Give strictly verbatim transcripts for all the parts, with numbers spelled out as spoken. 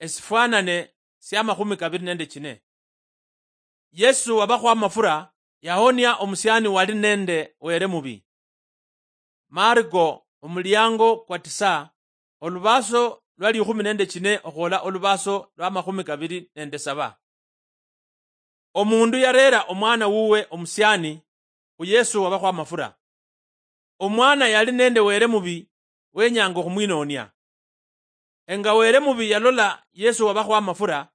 esifwanane sia makhumi kabiri nende chine. Yesu wabakhwa amafura yahonia omusiani wali nende were mubi. Marko omuliango kwa tisa, olubaso lwa likhumi nende chine okhwola olubaso lwa makhumi kabiri nende saba. Omundu yarera omwana wuwe omusiani khu Yesu wabakhwa amafura. Omwana yali nende were mubi wenyanga okhumwinonia. Enga were mubi yalola Yesu wabakhwa amafura,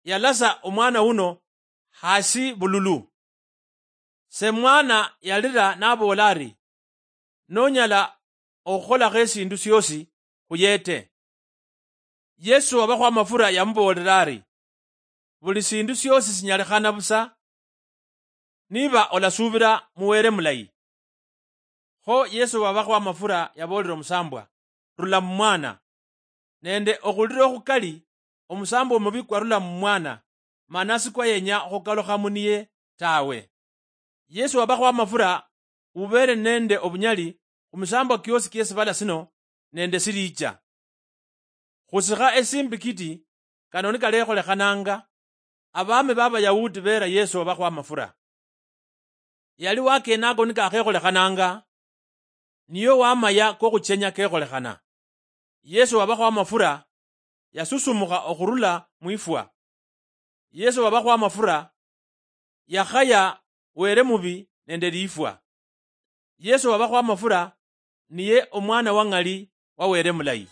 yalasa omwana wuno hasi bululu. Se mwana yalira naboola ari, "Nonyala okhukholakho esindu siosi, khuyete." Yesu wabakhwa amafura yamuboolera ari, "Buli sindu siosi sinyalikhana busa niba olasubira mu Were mulayi." Kho Yesu wabakhwa amafura yaboolera omusambwa, "Rula mumwana." Nende okhulira okhukali, omusambwa omubi kwarula mumwana, mana sikwa yenya okhukalukha muniye tawe. Yesu wabakhwa amafura ubeere nende obunyali khumisambwa kiosi kiesibala sino nende silicha. Khusikha esimbikiti kano nikalekholekhananga, abami b'Abayahudi beera Yesu wabakhwa amafura. Yali wakenako nikakhekholekhananga, niyo wamaya kokhuchenya kekholekhana. Yesu wabakhwa amafura yasusumukha okhurula mwifwa. Yesu wabakhwa amafura yakhaya were mubi nende lifwa. Yesu wabakhwa amafura niye omwana wa ng'ali wa Were mulayi.